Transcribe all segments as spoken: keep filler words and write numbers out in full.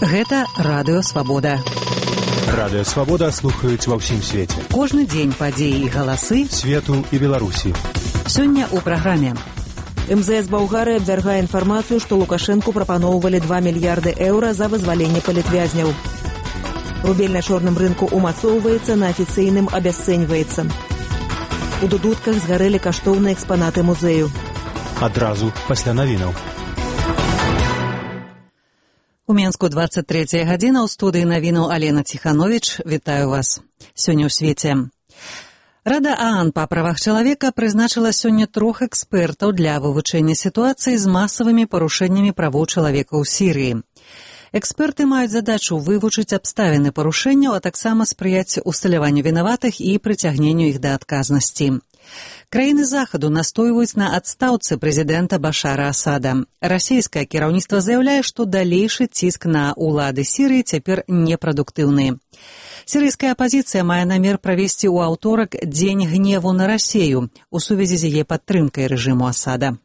Гэта Радыё Свабода. Радыё Свабода слухаюць ва ўсім свеце. Кожны дзень падзеі і галасы свету і Беларусі. Сёння ў праграме. эм зэ эс Балгарыі абвяргае інфармацыю, што Лукашэнку прапаноўвалі два мільярды еўра за вызваленне палітвязняў. Рубель на чорным рынку умацоўваецца, на афіцыйным абясцэньваецца. У дудутках згарэлі каштоўныя экспанаты музею. Адразу пасля навінаў. У Менску дваццаць трэцяя гадзіна, ў студыі навінаў Алена Ціхановіч. Вітаю вас. Сёння ў свеце. Рада ААН па правах чалавека прызначыла сёння трох экспертаў для вывучэння сітуацыі з масавымі парушэннямі правоў чалавека ў Сірыі. Эксперты маюць задачу вывучыць абставіны парушэнняў, а таксама спрыяць усталяванню вінаватых і прыцягненню іх да адказнасці. Краіны Захаду настойваюць на адстаўцы прэзідэнта Башара Асада. Расійскае кіраўніцтва заяўляе, што далейшы ціск на ўлады Сірыі цяпер непрадуктыўны. Сірыйская апазіцыя мае намер правесці ў аўторак дзень гневу на Расею у сувязі з яе падтрымкай рэжыму Асада.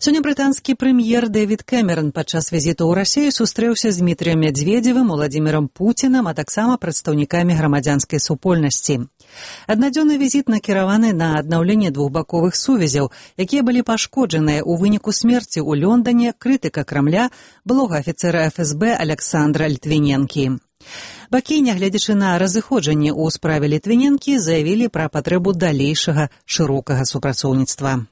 Сёння брытанскі прэм'ер Дэвід Кэмерон падчас візіту ў Расею сустрэўся з Дмітрыем Мядзведзевым, Уладзімірам Пуцінам, а таксама прадстаўнікамі грамадзянскай супольнасці. Аднадзённы візіт накіраваны на аднаўленне двухбаковых сувязяў, якія былі пашкоджаныя ў выніку смерці ў Лондане крытыка Крамля, былога афіцэра эф эс бэ Аляксандра Літвіненкі. Бакі, нягледзячы на разыходжанне ў справе Літвіненкі, заявілі пра патрэбу далейшага шырокага супрацоўніцтва.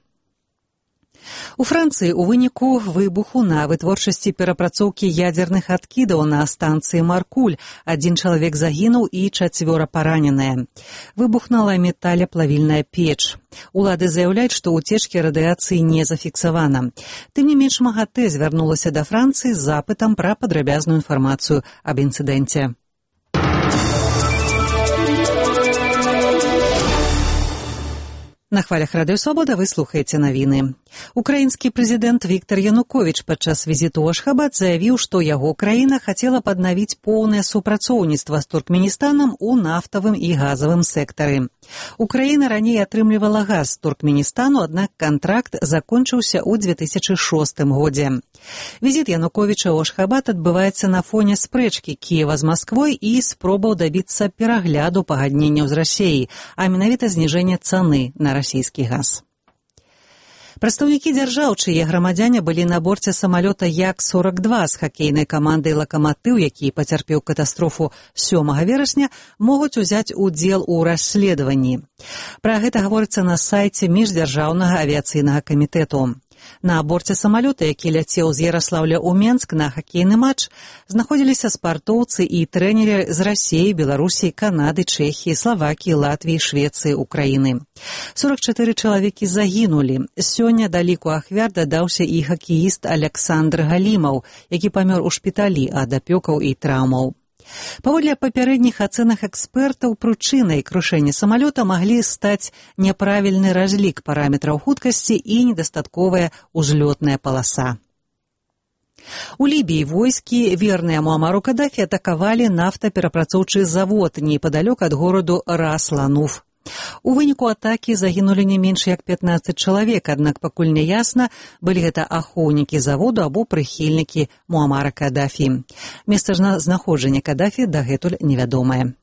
У Францыі ў выніку выбуху на вытворчасці перапрацоўкі ядзерных адкідаў на станцыі Маркуль адзін чалавек загінуў і чацвёра параненыя. Выбухнула металеплавільная печ. Улады заяўляюць, што ўцечкі радыяцыі не зафіксавана. Тым не менш, МАГАТЭ звярнулася да Францыі з запытам пра падрабязную інфармацыю аб інцыдэнце. На хвалях Радыё Свабода вы слухаеце навіны. Украінскі прэзідэнт Віктар Януковіч падчас візіту ў Ашхабад заявіў, што яго краіна хацела паднавіць поўнае супрацоўніцтва з Туркменістанам у нафтавым і газавым сектары. Украіна раней атрымлівала газ з Туркменістану, аднак кантракт закончыўся ў дзве тысячы шостым годзе. Візіт Януковіча ў Ашхабад адбываецца на фоне спрэчкі Кіева з Масквой і спробаў дабіцца перагляду пагадненняў з Расіяй, а менавіта зніжэння цаны на расійскі газ. Прадстаўнікі дзяржаў, чые грамадзяне былі на борце самалёта Як сорак два з хакейнай камандай «Лакаматыў», які пацярпеў катастрофу сёмага верасня, могуць узяць удзел у расследаванні. Пра гэта гаворыцца на сайце міждзяржаўнага авіяцыйнага камітэту. На борце самалёта, які ляцеў з Яраслаўля ў Менск на хакейны матч, знаходзіліся спартоўцы і трэнеры з Расіі, Беларусі, Канады, Чэхіі, Славакіі, Латвіі, Швецыі, Украіны. сорак чатыры чалавекі загінулі. Сёння да ліку ахвяр дадаўся і хакеіст Аляксандр Галімаў, які памёр у шпіталі ад апёкаў і траўмаў. Паводле папярэдніх ацэнак экспертаў, прычынай крушэння самалёта маглі стаць няправільны разлік параметраў хуткасці і недастатковая узлётная паласа. У Лібіі войскі, верныя Муамару Кадафі, атакавалі нафтаперапрацоўчы завод непадалёк ад гораду Рас-Лануф. У выніку атакі загінулі не менш як пятнаццаць чалавек, аднак пакуль не ясна, былі гэта ахоўнікі заводу або прыхільнікі Муамара Кадафі. Месца знаходжання Кадафі дагэтуль невядомае.